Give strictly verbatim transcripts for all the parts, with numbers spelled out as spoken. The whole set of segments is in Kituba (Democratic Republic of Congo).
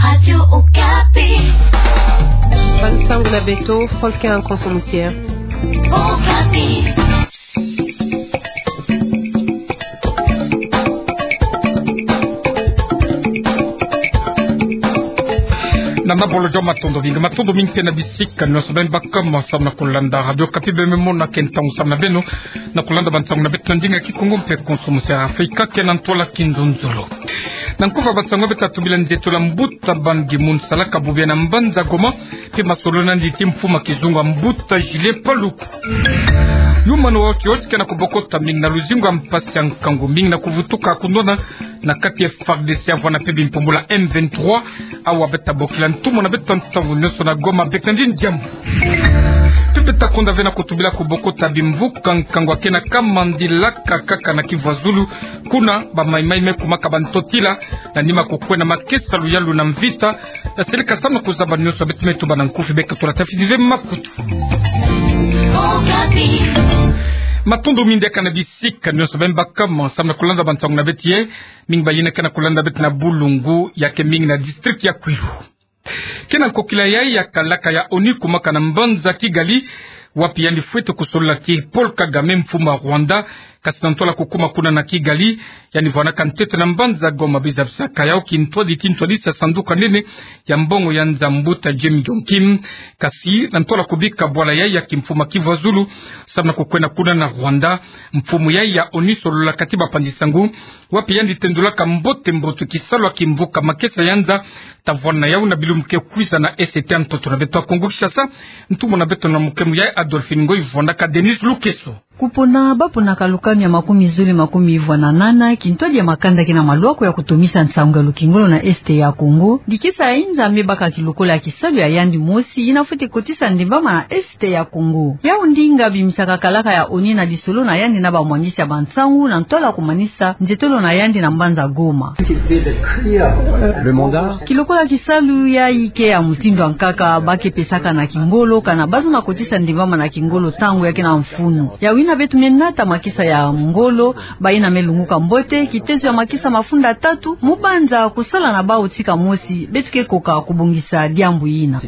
Radio Okapi. Bansangu na beto, Volker Nkonso Musier. Okapi. Na nabolo joma matondo mingi, matondo mingi mpe na bisika nyonso beno baka mo samu na kulanda Radio Okapi. Beno mona ke ntangu samu na beno na kulanda bansangu na beto na ndinga Kikongo mpe Nkonso Musier Afrika, ke na ntwala kinzonzolo. Na nkufi ya bansangu beto tobila nzietolo ya mbuta Ban Ki-moon salaka bubu yayi na mbanza Goma, mpe masolo nandi ti mfumu ya kizunga mbuta Julien Paluku. Human Rights Watch ke na kubokota mingi na luzingu ya mpasi ya nkangu mingi na kuvutuka kunwana na kati ya F A R D C ya vwanda mpe bimpumbulu ya M vingt-trois, awa beto tabokila ntumwa na beto ntangu nyonso na Goma, beka nandi diambu. Mpe beto takonda ve na kutubila kubokota bimvuka nkangu ya ke na kamandilaka kaka na Kivu ya Zulu, kuna ba Mai-Mai me kumaka bantotila, na nima kukwenda makesa luyalu na mvita, na seleka samu na kuzaba nyonso beto me tuba na nkufi, beka tula tafidi ve makutu. Matondo mingi diaka na bisika nyonso beno baka mo samu na kulanda bansangu na beto ye, mingi bayina ke na kulanda beto na bulungu, ya ke mingi na district ya Kwilu. Ke na nkokila yayi ya kalaka ya ONU kumaka na mbanza Kigali, wapi yandi fwete kusolola ti Paul Kagame, mfumu ya Rwanda, kasi na ntwala kukuma kuna na Kigali, yandi vwanaka ntete na mbanza Goma, bizabisaka yawu kintwadi ti ntwadisa sanduku ya nene ya mbongo ya nza mbuta Jim Yong Kim, kasi na ntwala kubika bwala yayi ya kimfumu ya Kivu ya Zulu, samu na kukwenda kuna na Rwanda, mfumu yayi ya ONU sololaka ti bapanzi-nsangu, wapi yandi tendulaka mbote-mbote kisalu ya kimvuka makesa ya nza, ta vwanda yawu na bilumbu ke kwiza na Est ya ntoto na beto ya Kongo Kinshasa. Ntumwa na beto na mukemu yayi Adolphine Ngoy vwandaka Denis Lukeso. Kupona baponaka lukanu ya makumi zole makumi ivwa na nana, kintwadi ya makanda ke na malwako ya kutomisa nsangu ya lukingolo na Est ya Kongo. Dikesa ya inza me baka kilokola ya kisalu ya yandi mosi, yina fwete kotisa ndembama na Est ya Kongo. Yawu ndinga bimisaka kalaka ya ONU na lisolo na yandi na bamwangisi ya bansangu na ntwala kumanisa nzietolo na yandi na mbanza Goma. Kilokola kisalu yayi ke ya mutindu ya nkaka, ba ke pesaka na kingolo, kana bazono kotisa ndembama na kingolo ntangu ya ke na mfunu. Yawu yina beto me nata makesa ya ngolo, bayina me lunguka mbote, kitezo ya makesa mafunda tatu, mu banza kusala na bawu tika mosi, beto ke koka kubongisa diambu yina.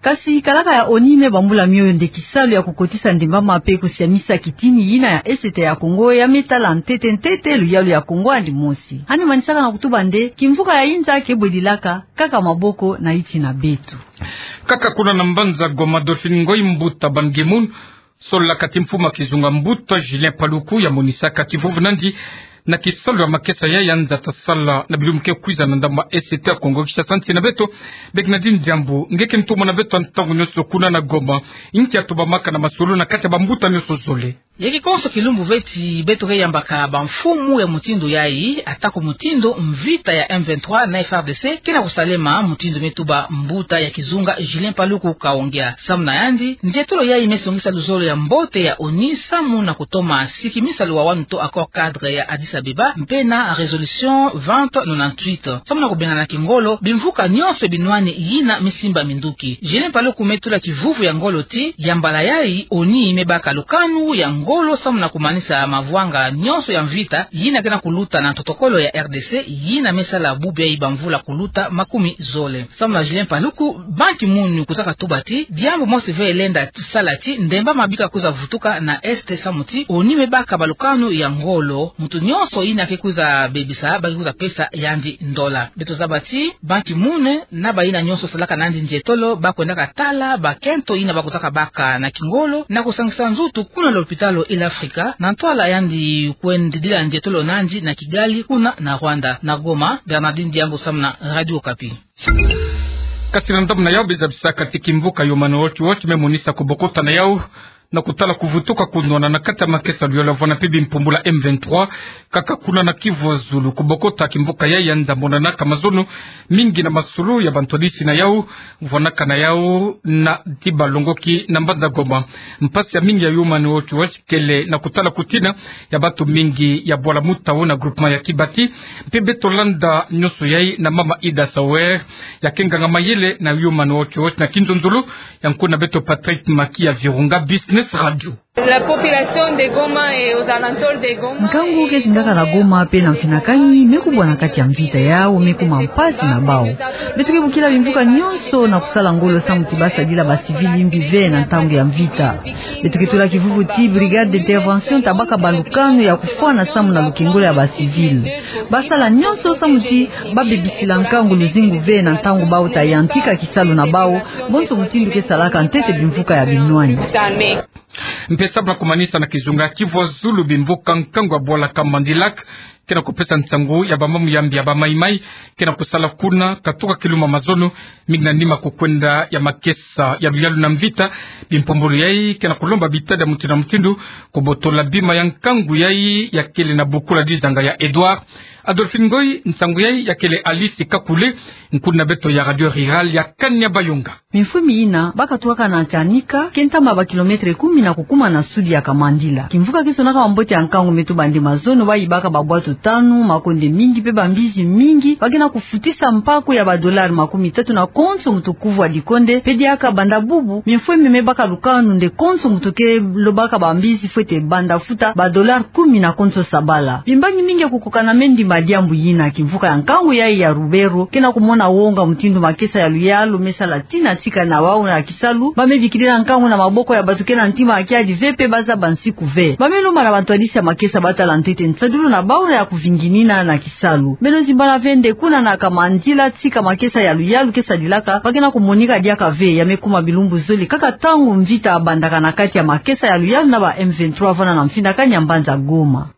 Kasi kalaka ya ONU me bambula mioyo nde kisalu ya kukotisa ndembama mpe kusiamisa kitini yina ya Est ya Kongo ya me tala ntete-ntete luyalu ya Kongo yandi mosi. Yandi manisaka na kutuba nde kimvuka ya inza ke bwedilaka kaka maboko na yinti na beto. Kaka kuna na mbanza Goma, Adolphine Ngoy, mbuta Ban Ki-moon sololaka ti mfumu ya kizunga mbuta Julien Paluku, ya monisaka kivuvu nandi na kisalu ya makesa yayi ya nza ta sala na bilumbu ke kwiza na ndambu ya Est ya Kongo Kinshasa, nsi na beto. Beka nandi diambu, nge ke ntumwa na beto ya ntangu nyonso kuna na Goma, nki ya tubamaka na masolo na kati ya bambuta nyonso zole? Ya ke konso kilumbu ve ti beto ke yambaka bamfumu ya mutindu yayi, atako mutindu mvita ya M vingt-trois na F A R D C ke na kusalema, mutindu me tuba mbuta ya kizunga Julien Paluku Kaongea. Samu na yandi, nzietolo yayi me songisa luzolo ya mbote ya ONU samu na kutoma sikimisa luwawanu to accord cadre ya Addis Abeba, mpe na résolution vingt nonante-huit. Samu na kubengana kingolo, bimvuka nyonso binwani yina me simba minduki. Julien Paluku me tula kivuvu ya ngolo ti, ya mbala yayi, ONU me baka lukanu ya ngolo samu na kumanisa mavwanga nyonso ya mvita yina ke na kuluta na ntotokolo ya R D C, yina me sala bubu yayi bamvula kuluta makumi zole. Samu na Julien Paluku, Ban Ki-moon kwiza katuba ti diambu mosi ve lenda sala ti ndembama bika kwiza vutuka na Est samu ti ONU me baka balukanu ya ngolo, muntu nyonso yina ke kwiza bebisa, ba ke kwiza pesa yandi ndola. Beto zaba ti Ban Ki-moon na bayina nyonso salaka nandi nzietolo, ba kwendaka tala bakento yina ba kwizaka baka na kingolo, na kusangisa nzutu kuna lopitalo Ile Afrika, na ntwala yandi kwendidila nzietolo nandi na Kigali kuna na Rwanda. Na Goma, Bernardine Diambu samu na Radio Okapi. Kasi na ndambu na yawu, beza bisaka ti kimvuka Human Rights Watch me monisa kubokota na yawu na kutala kuvutuka kunwana na kati ya makesa luyalu ya vwanda mpe bimpumbulu ya M vingt-trois, kaka kuna na Kivu ya Zulu. Kubokota kimvuka yayi ya nza monanaka mazono mingi na masolo ya bantwadisi na yawu, vwanaka na yawu na ti balongoki na mbanza Goma. Mpasi ya mingi ya Human Rights Watch kele na kutala kutina ya bantu mingi ya bwala mutao na groupement ya Kibati. Mpe beto landa nyonso yayi na mama Ida Sawer, ya ke nganga-mayele na Human Rights Watch, na kinzonzolo ya nkuna beto Patrick Maki ya Virunga Business Radio. La population de Goma et aux alentours de Goma. Nkangu ke zingaka na Goma pe na mfinakani me kubwa na kati ya mvita, yau me kuma mpasi na bau. Beto ke bokila bimvuka nyonso na kusala ngolo samu ti ba sadila ba civil yimbi ve na ntangu ya mvita. Beto ke tula kivuvu ti brigade d'intervention ta baka balukanu ya kufwana samu na lukengolo ya ba civil. Ba sala nyonso samu ti ba bebisila nkangu luzingu ve na ntangu bau ta yantika kisalu na bau, bonso mutindu ke salaka ntete bimvuka ya binwani. Mpe samu na kumanisa na kizunga Kivu ya zulu, bimvuka nkangu ya bwala Kamandilak ke na kupesa nsangu ya ba mambu ya mbi ya ba maimai ke na kusala kuna, katuka kiluma mazono, mingi na nima kukwenda ya makesa ya luyalu na mvita. Bimpumbulu yai ke na kulomba bitadi ya mutindu na mutindu kubotola bima ya nkangu yai ya kele na bukula dizanga ya Edouard. Adolphine Ngoy, nsangu yai ya kele Alice Kakule, nkuni na beto ya Radio Rurale ya Kanya Bayonga. Mimfumi ina ba katukaka na Tianika, ke ntama ba kilomètre kumi na kukuma na sud ya Kamandila. Kimvuka ke sonaka mambote ya nkangu me tubandi mazono, ba yibaka ba bwatu tanu, makonde mingi mpe ba mbizi mingi, ba ke na kufutisa mpaku ya ba dollars makumi tatu na konso mutu kuvu wa dikonde, mpe diaka banda bubu, mimfumi me baka lukanu nde konso mutu ke lobaka ba mbizi fwete banda futa ba dollars kumi na konso sabala. Bimbangi mingi ya kukokana me ndimba diambu yina. Kimvuka ya nkangu yai ya Lubero ke na kumona wonga mutindu makesa ya luyalu me sala tina tika na wau na kisalu, ba me bikilila nkangu na maboko ya bato ke na ntima ya kiadi ve mpe ba zaba nsiku ve. Ba me lomba na bantwadisi ya makesa ba tala ntete nsadulu na bau na ya kuvinginina na kisalu. Beno zimbana ve nde kuna na Kamandila, tika makesa ya luyalu ke sadilaka, ba ke na kumonika diaka ve, ya me kuma bilumbu zole kaka ntangu mvita bandaka na kati ya makesa ya luyalu na ba M vingt-trois vana na mfinakani ya mbanza Goma.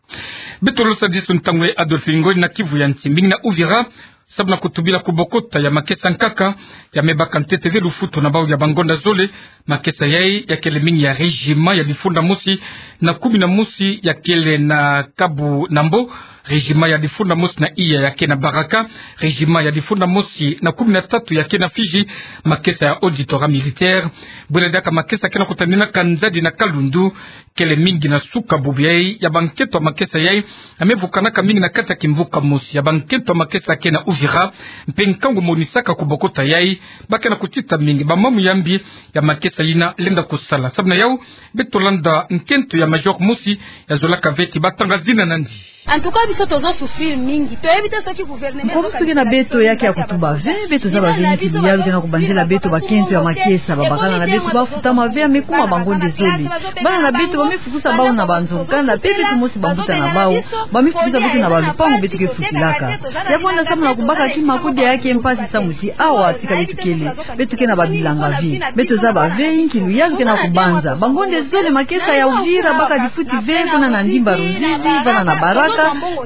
Beto losa disu ntangu ya Adolphine Ngoy na Kivu ya Nsi, mingi na Uvira, samu na kutubila kubokota ya makesa nkaka ya me baka ntete ve lufutu na bau ya bangonda zole. Makesa yai ya kele mingi ya régiment ya difunda mosi na kumi na mosi ya kele na Kabu Nambo, régiment ya difunda mosi na iya ya ke na Baraka, régiment ya difunda mosi na kumi na tatu ya ke na Fidji, makesa ya auditorat militaire. Bwela diaka makesa ke na kutaninaka nzadi na Kalundu, kele mingi na suka bubu yai ya bankento ya makesa yai ya me vukanaka mingi na kati ya kimvuka mosi ya bankento ya makesa ke na Uvira. Mpe nkangu monisaka kubokota yai, ba ke na kutita mingi ba mambu ya mbi ya makesa yina lenda kusala. Samu na yau, beto landa nkento ya major mosi ya zolaka ve ti ba tanga zina na ndi. En tout cas, biso tozo souffrir mingi. Toyebi te soki gouvernement... Nkomo soki na beto ya ke ya kutuba ve, beto zaba ve nki luyalu ke na kubanzela beto bakento ya makesa. Babakala na beto ba futama ve, ya me kuma bangonda zole. Bana na beto ba me fukusa bau na banzo-nkanda, mpe beto mosi bambuta na bau ba me fukusa beto na balupangu beto ke futilaka. Ya kwenda samu na kubaka kima kudia ya ke mpasi samu ti awa sika beto kele, beto ke na babilanga ve. Beto zaba ve nki luyalu ke na kubanza. Bangonda zole, makesa ya Uvira ba ka difuti ve, kuna na ndimba Ruzizi, vana na Baraka,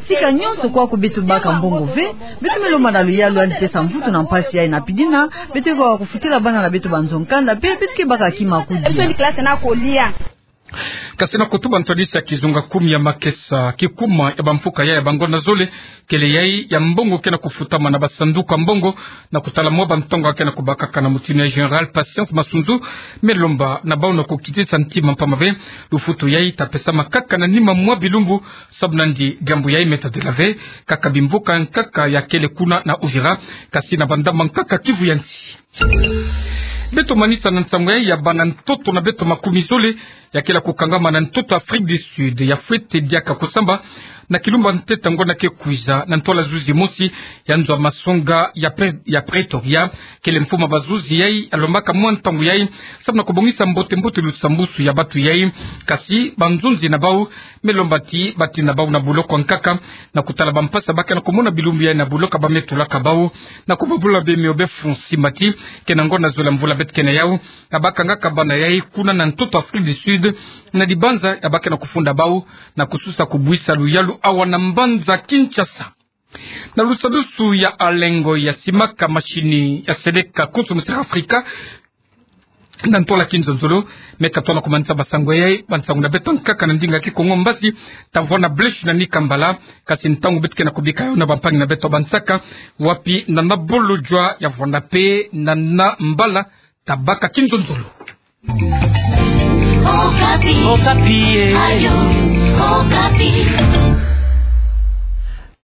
sika nyonso kwa ko beto baka mbongo ve. Beto me lomba na luyalu yandi pesa mvutu na mpasi yai na pidina. Beto ke baka kufutila bana na beto banzo-nkanda, mpe beto ke baka kima kudia. Kasi na kutuba ntwadisi ya kizunga kumi ya makesa, kikuma ya bamfuka yai ya bangonda zole, kele yai ya mbongo ke na kufutama na basanduku ya mbongo, na kutala mwa bantangu ke na kubakaka na mutindu ya Général Patience Masunzu me lomba na bau na kukitisa ntima mpamba ve lufutu yai ta pesama kaka na nima mwa bilumbu. Samu na ndi diambu yai me tadila ve kaka bimvuka nkaka ya kele kuna na Uvira, kasi na bandamba nkaka Kivu ya Nsi. Beto manisa na nsangu yai ya bana ntoto na beto makumi zole ya kele ya kukangama na ntoto Afrique du Sud, ya fwete diaka kusamba na kilumba ntete ya ngonda ke kwiza na ntwala zuzi mosi ya nzo ya masonga ya Pre-, ya Pretoria. Kele mfumu ya bazuzi yai alombaka mwa ntangu yai samu na kubongisa mbote-mbote lusambusu ya batu yai, kasi banzonzi na bau me lomba ti batinda bau na boloko nkaka, na kutala bampasi ba ke na kumona bilumbu yai na boloko ba me tulaka bau, na kubabula be mio be fu nsimba ti ke na ngonda zole ya mvula beto ke na yau, ya ba kangaka bana yai kuna na ntoto Afrique du Sud, na dibanza ya ba ke na kufunda bau, na kususa kubwisa luyalu awa na mbanza Kinshasa. Na lusadusu ya Alengo ya simaka masini ya seleka konso mu Centrafrique, na ntwala kinzonzolo, me ka tona kumanisa basangu yai, bansangu na beto nkaka na ndinga Kikongo mbasi, ta vwanda bleshi na nika mbala, kasi ntangu beto ke na kubika yau na bampangi na beto bansaka, wapi na na bolo jwa ya vwanda pe na na mbala, ta baka kinzonzolo. Okapi. Okapi, eh. Radio Okapi.